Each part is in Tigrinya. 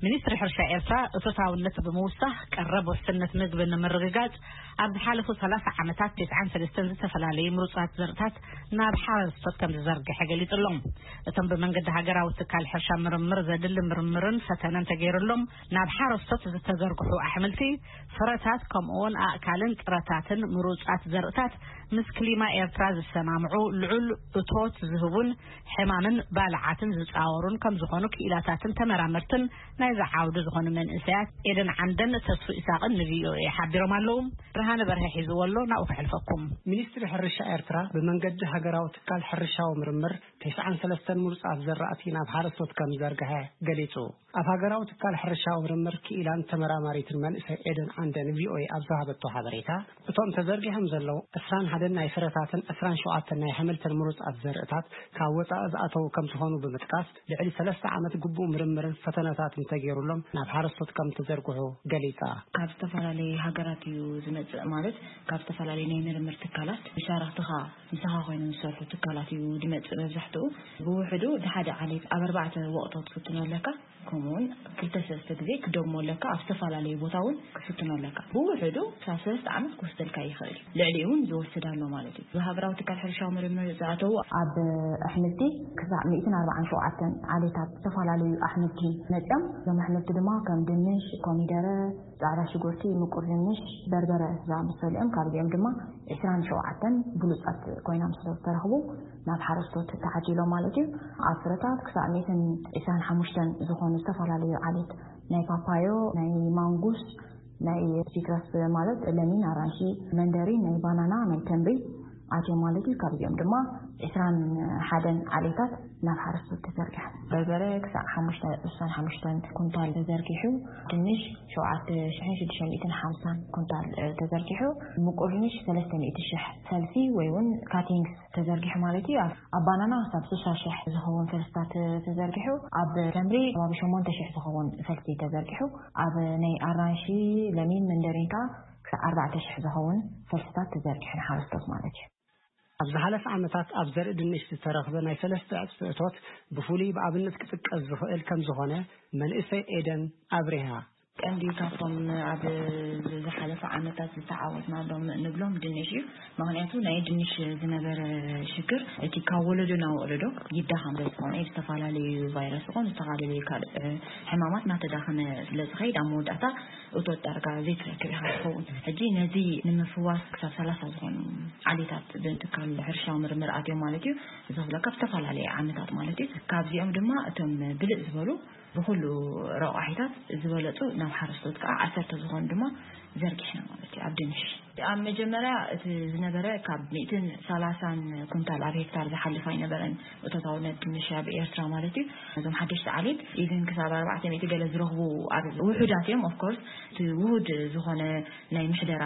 ሚኒስትሪ ሕርሻ ኤርትራ እቶታውነት ብምውሳኽ ቀረብ ውሕስነት ምግቢ ንምርግጋጽ ኣብ ዝሓለፉ ሰላሳ ዓመታት ተስዓን ሰለስተን ዝተፈላለዩ ምሩጻት ዘርእታት ናብ ሓረስቶት ከም ዝዘርግሐ ገሊጹ ኣሎ። እቶም ብመንገዲ ሃገራዊ ትካል ሕርሻ ምርምር ዘድሊ ምርምርን ፈተነን ተገይሩሎም ናብ ሓረስቶት ዝተዘርግሑ ኣሕምልቲ፣ ፍረታት ከምኡውን ኣእካልን ጥረታትን ምሩጻት ዘርእታት ምስ ክሊማ ኤርትራ ዝሰማምዑ፣ ልዑል እቶት ዝህቡን ሕማምን ባልዓትን ዝጻወሩን ከም ዝኾኑ ክኢላታትን ተመራመርትን ናይዚ ዓውዲ ዝኾኑ መንእሰያት ኤደን ዓንደን ተስፉ ኢሳቕን ን ቪ ኦ ኤ ሓቢሮም ኣለዉ። ብርሃነ በርሀ ሒዝዎ ኣሎ፣ ናብኡ ከሕልፈኩም። ሚኒስትሪ ሕርሻ ኤርትራ ብመንገዲ ሃገራዊ ትካል ሕርሻዊ ምርምር ተስዓን ሰለስተን ምሩጻት ዘራእቲ ናብ ሓረስቶት ከም ዝዘርግሐ ገሊጹ። ኣብ ሃገራዊ ትካል ሕርሻዊ ምርምር ክኢላን ተመራማሪትን መንእሰይ ኤደን ዓንደ ን ቪ ኦ ኤ ኣብ ዝሃበቶ ሓበሬታ፣ እቶም ተዘርጊሖም ዘለዉ ዕስራን ሓደን ናይ ፍረታትን ዕስራን ሸውዓተን ናይ ኣሕምልትን ምሩጻት ዘርእታት ካብ ወጻኢ ዝኣተዉ ከም ዝኾኑ ብምጥቃስ፣ ልዕሊ ሰለስተ ዓመት ግቡእ ምርምርን ፈተነታትን ተገይሩሎም ናብ ሓረስቶት ከም ተዘርግሑ ገሊጻ። ካብ ዝተፈላለዩ ሃገራት እዩ ዝመጽእ፣ ማለት ካብ ዝተፈላለዩ ናይ ምርምር ትካላት፣ መሻርኽትኻ ምሳኻ ኮይኖም ዝሰርሑ ትካላት እዩ ዝመጽእ መብዛሕትኡ። ብውሕዱ ንሓደ ዓሌት ኣብ ኣርባዕተ ወቕታት ክትፍትኖ ኣለካ፣ ከምኡውን ክልተ ሰለስተ ግዜ ክደግሞ ኣለካ፣ ኣብ ዝተፈላለዩ ቦታ እውን ክትፍትኖ ኣለካ። ብውሕዱ ክሳብ ሰለስተ ዓመት ክወስደልካ ይኽእል እዩ። ልዕሊኡ እውን ዝወስድ ኣሎ ማለት እዩ። ብሃገራዊ ትካል ሕርሻዊ ምርምር ዝኣተዉ ኣብ ኣሕምልቲ ክሳዕ ሚእትን ኣርባዓን ሸውዓተን ዓሌታት ዝተፈላለዩ ኣሕምልቲ መፅዮም፣ እዞም ኣሕምልቲ ድማ ከም ድንሽ፣ ኮሚደረ፣ ጻዕዳ ሽጉርቲ፣ ምቁር ድንሽ፣ በርበረ ዝኣመሰሉ እዮም። ካብዚኦም ድማ ዕስራን ሸውዓተን ብሉጻት ኮይኖም ስለ ዝተረኽቡ ናብ ሓረስቶት ተዓዲሎም ማለት እዩ። ኣብ ፍረታት ክሳዕ ሚእትን ዕስራን ሓሙሽተን ዝኾኑ ዝተፈላለዩ ዓሌት ናይ ፓፓዮ፣ ናይ ማንጉስ፣ ናይ ሲትረስ ማለት ለሚን፣ ኣራንሺ፣ መንደሪን፣ ናይ ባናና፣ ናይ ተምሪ ኣትዮም ማለት እዩ። ካብዚኦም ድማ ዕስራን ሓደን ዓሌታት ናብ ሓረስቶት ተዘርጊሖም። በርበረ ክሳዕ ሓሙሽተ፣ ዕስራን ሓሙሽተን ኩንታል ተዘርጊሑ፣ ድንሽ ሸውዓተ ሽሕን ሽዱሽተ ሚእትን ሓምሳን ኩንታል፣ እ፣ ተዘርጊሑ፣ ምቁር ድንሽ ሰለስተ ሚእቲ ሽሕ ፈልሲ ወይ እውን ካቲንግስ ተዘርጊሑ ማለት እዩ። ኣብ፣ ኣብ ባናና ክሳብ ስሳ ሽሕ ዝኸውን ፈልስታት ተዘርጊሑ፣ ኣብ ተምሪ ከባቢ ሸሞንተ ሽሕ ዝኸውን ፈልሲ ተዘርጊሑ፣ ኣብ ናይ ኣራንሺ፣ ለሚን፣ መንደሪን ከዓ ክሳብ ኣርባዕተ ሽሕ ዝኸውን ፈልስታት ተዘርጊሑ ንሓረስቶት ማለት እዩ። ኣብ ዝሓለፈ ዓመታት ኣብ ዘርኢ ድንሽ ዝተረኽበ ናይ ሰለስተ ዕጽፊ እቶት ብፍሉይ ብኣብነት ክጥቀስ ዝኽእል ከም ዝኾነ መንእሰይ ኤደን ኣብሪሃ። ቀንዲ ካብቶም ኣብ ዝሓለፈ ዓመታት ዝተዓወትናሎም ንብሎም ድንሽ እዩ። ምኽንያቱ ናይ ድንሽ ዝነበረ ሽግር እቲ ካብ ወለዶ ናብ ወለዶ ይዳኸም ስለ ዝኾነ፣ ዝተፈላለዩ ቫይረስ ይኹን ዝተፈላለዩ ካልእ ሕማማት እናተዳኸመ ስለ ዝኸይድ፣ ኣብ መወዳእታ እቶት ዳርጋ ዘይትረክብ ኢኻ ትኸውን። ሕጂ ነዚ ንምፍዋስ ክሳብ ሰላሳ ዝኾኑ ዓሌታት ብትካል ሕርሻዊ ምርምር ኣትዮም ማለት እዩ። እዚ ክብለካ ኣብ ዝተፈላለየ ዓመታት ማለት እዩ። ካብዚኦም ድማ እቶም ብልጽ ዝበሉ ብኹሉ ረቋሒታት ዝበለጹ ናብ ሓረስቶት ከዓ ዓሰርተ ዝኾኑ ድማ ዘርጊሕና ማለት እዩ። ኣብ ድንሽ ኣብ መጀመርያ እቲ ዝነበረ ካብ ሚእትን ሰላሳን ኩንታል ኣብ ሄክታር ዝሓልፍ ኣይነበረን እቶታውነት ድንሽ ኣብ ኤርትራ ማለት እዩ። እዞም ሓደሽቲ ዓሌት ኢቭን ክሳብ ኣርባዕተ ሚእቲ ገለ ዝረኽቡ ኣብ ውሑዳት እዮም። ኦፍኮርስ እቲ ውሁድ ዝኾነ ናይ ምሕደራ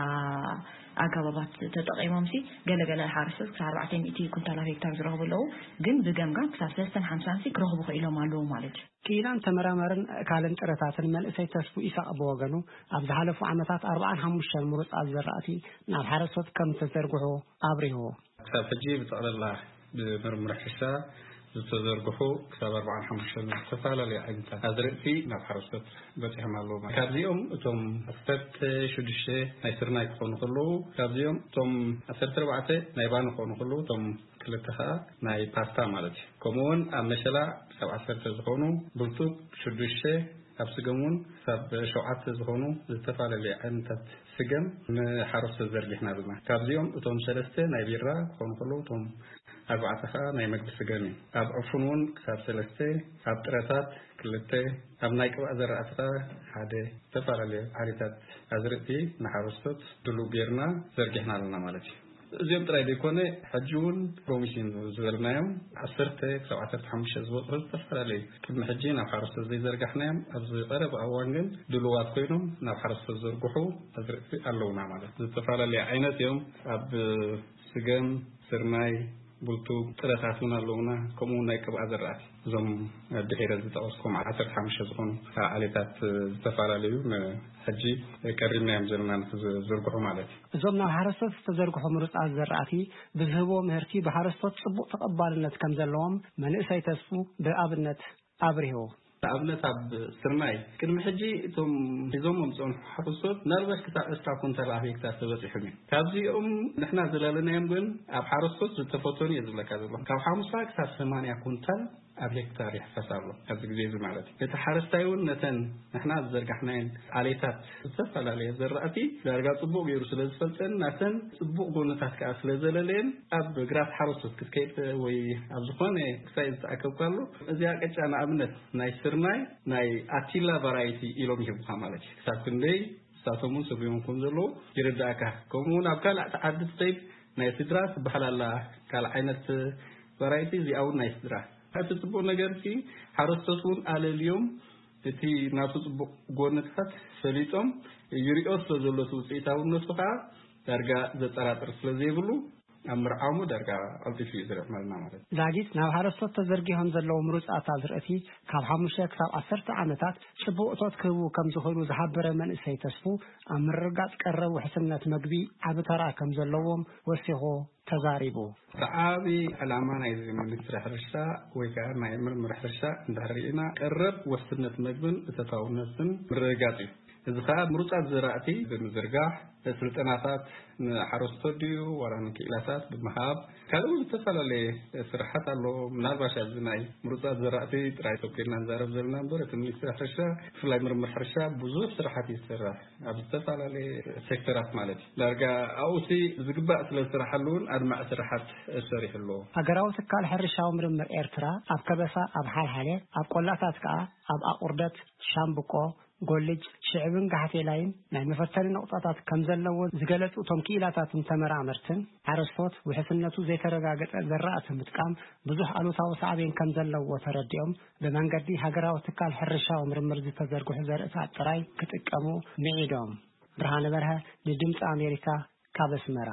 ኣገባባት ተጠቒሞም ሲ ገለገለ ሓረስቶት ክሳብ ኣርባዕተ ሚእቲ ኩንታል ኣብ ሄክታር ዝረኽቡ ኣለዉ። ግን ብገምጋም ክሳብ ሰለስተን ሓምሳን ሲ ክረኽቡ ክኢሎም ኣለዉ ማለት እዩ። ክኢላን ተመራመርን ኣእካልን ጥረታትን መንእሰይ ተስፉ ኢሳቕ ብወገኑ፣ ኣብ ዝሓለፉ ዓመታት ኣርባዓን ሓሙሽተን ምሩጻት ዘራእቲ ናብ ሓረስቶት ከም ዝተዘርግሑ ኣብሪሁ። ክሳብ ሕጂ ብጠቕላላ ብምርምር ሕርሻ ዝተዘርግሑ ክሳብ ኣርባዓን ሓሙሽተን ዝተፈላለዩ ዓይነታት ኣዝርእቲ ናብ ሓረስቶት በጺሖም ኣለዉ። ካብዚኦም እቶም ዓሰርተ ሽዱሽተ ናይ ስርናይ ክኾኑ ከለዉ፣ ካብዚኦም እቶም ዓሰርተ ኣርባዕተ ናይ ባኒ ክኾኑ ከለዉ፣ እቶም ክልተ ኸኣ ናይ ፓስታ ማለት እዩ። ከምኡውን ኣብ መሸላ ክሳብ ዓሰርተ ዝኾኑ፣ ብርቱግ ሽዱሽተ፣ ኣብ ስገም እውን ክሳብ ሸውዓተ ዝኾኑ ዝተፈላለዩ ዓይነታት ስገም ንሓረስቶት ዘርጊሕና ኣለና። ካብዚኦም እቶም ሰለስተ ናይ ቢራ ክኾኑ ከለዉ፣ እቶም ኣርባዕተ ኸኣ ናይ መግቢ ስገም እዩ። ኣብ ዕፉን እውን ክሳብ ሰለስተ፣ ኣብ ጥረታት ክልተ፣ ኣብ ናይ ቅብኣ ዘራእቲ ኸኣ ሓደ፣ ዝተፈላለዩ ዓይነታት ኣዝርእቲ ንሓረስቶት ድሉው ጌርና ዘርጊሕና ኣለና ማለት እዩ። እዚኦም ጥራይ ዘይኮነ፣ ሕጂ እውን ፕሮሚሲን ዝበልናዮም ዓሰርተ ክሳብ ዓሰርተ ሓሙሽተ ዝበጽሑ ዝተፈላለዩ ቅድሚ ሕጂ ናብ ሓረስቶት ዘይዘርጋሕናዮም ኣብዚ ቀረባ እዋን ግን ድሉዋት ኮይኖም ናብ ሓረስቶት ዘርግሑ ኣዝርእቲ ኣለውና ማለት እዩ። ዝተፈላለዩ ዓይነት እዮም። ኣብ ስገም፣ ስርናይ፣ ቡልቱግ፣ ጥረታት እውን ኣለውና። ከምኡ እውን ናይ ቅብኣ ዘራእቲ፣ እዞም ድሒረ ዝጠቐስኩም ዓሰርተ ሓሙሽተ ዝኾኑ ዓሌታት ዝተፈላለዩ ን-፣ ሕጂ ቀሪብናዮም ዘለና ንክዝርግሑ ማለት እዩ። እዞም ናብ ሓረስቶት ዝተዘርግሑ ምሩጻት ዘራእቲ ብዝህብዎ ምህርቲ ብሓረስቶት ጽቡቕ ተቐባልነት ከም ዘለዎም መንእሰይ ተስፉ ብኣብነት ኣብሪሁ። ንኣብነት ኣብ ስርናይ ቅድሚ ሕጂ እቶም ሒዞም መምፅኦም ሓረስቶት ምናልባሽ ክሳብ ዕስራ ኩንታል ኣብ ሄክታር ተበፂሖም እዮም። ካብዚኦም ንሕና ዝላለናዮም ግን ኣብ ሓረስቶት ዝተፈተኑ እየ ዝብለካ ዘሎ። ካብ ሓሙሳ ክሳብ ሰማንያ ኩንታል ኣብ ሄክታር ይሕፈስ ኣሎ ኣብዚ ግዜ እዚ ማለት እዩ። እቲ ሓረስታይ እውን ነተን ንሕና ዝዘርጋሕናየን ዓሌታት ዝተፈላለየ ዘራእቲ ዳርጋ ጽቡቕ ገይሩ ስለ ዝፈልጠን ናተን ጽቡቕ ጎንታት ከኣ ስለ ዘለለየን ኣብ ግራት ሓረስቶት ክትከይድ ወይ ኣብ ዝኾነ ክሳይ ዝተኣከብካሉ እዚኣ ቅጫ ንኣብነት ናይ ስርናይ ናይ ኣቲላ ቫራይቲ ኢሎም ይህቡኻ ማለት እዩ። ክሳብ ክንደይ ንሳቶም እውን ስርዮም ከም ዘለዉ ይርዳእካ። ከምኡ እውን ኣብ ካልእ ዓዲ ትኸይድ ናይ ስድራ ትበሃል ኣላ ካልእ ዓይነት ቫራይቲ እዚኣ እውን ናይ ስድራ። እቲ ጽቡቕ ነገር እቲ ሓረስቶት እውን ኣለልዮም እቲ ናቱ ጽቡቕ ጎንታት ፈሊጦም ይሪኦ ስለ ዘሎ እቲ ውፅኢታውነቱ ከዓ ዳርጋ ዘጠራጥር ስለ ዘይብሉ ኣብ ምርዓሙ ዳርጋ ቀልጢፉ እዩ ዝርዕመልና ማለት እዩ። ዛጊት ናብ ሓረስቶት ተዘርጊሖም ዘለዉ ምሩፃት ኣዝርእቲ ካብ ሓሙሽተ ክሳብ ዓሰርተ ዓመታት ጽቡቕ እቶት ክህቡ ከም ዝኽእሉ ዝሓበረ መንእሰይ ተስፉ ኣብ ምርግጋፅ ቀረብ ውሕስነት መግቢ ዓቢ ተራ ከም ዘለዎም ወሲኹ ተዛሪቡ። እቲ ዓቢ ዕላማ ናይ ሚኒስትሪ ሕርሻ ወይ ከዓ ናይ ምርምር ሕርሻ እንድሕር ርኢና ቀረብ ውሕስነት መግብን እተታውነትን ምርግጋፅ እዩ። እዚ ከዓ ምሩፃት ዘራእቲ ብምዝርጋሕ ስልጠናታት ንሓረስቶት ድዩ ዋላ ንክኢላታት ብምሃብ ካልእ እውን ዝተፈላለየ ስራሓት ኣሎ። ምናልባሽ ኣብዚ ናይ ምሩፃት ዘራእቲ ጥራይ ተኮይንና ንዛረብ ዘለና እምበር እቲ ሚኒስትሪ ሕርሻ ብፍላይ ምርምር ሕርሻ ብዙሕ ስራሓት እዩ ዝሰርሕ ኣብ ዝተፈላለየ ሴክተራት ማለት እዩ። ዳርጋ ኣብኡሲ ዝግባእ ስለ ዝስራሓሉ እውን ኣድማዕ ስራሓት ሰሪሑ ኣሎ። ሃገራዊ ትካል ሕርሻዊ ምርምር ኤርትራ ኣብ ከበሳ፣ ኣብ ሓልሓለ፣ ኣብ ቆላታት ከኣ ኣብ ኣቑርደት፣ ሻምብቆ፣ ጎልጅ፣ ሽዕብን ጋሕቴላይን ናይ መፈተኒ ነቑጣታት ከም ዘለዎ ዝገለጹ እቶም ክኢላታትን ተመራመርትን ሓረስቶት ውሕስነቱ ዘይተረጋገጸ ዘራእቲ ምጥቃም ብዙሕ ኣሉታዊ ሳዕቤን ከም ዘለዎ ተረዲኦም ብመንገዲ ሃገራዊ ትካል ሕርሻዊ ምርምር ዝተዘርግሑ ዘርእታት ጥራይ ክጥቀሙ ምዒዶም። ብርሃነ በርሀ ንድምፂ ኣሜሪካ ካብ ኣስመራ።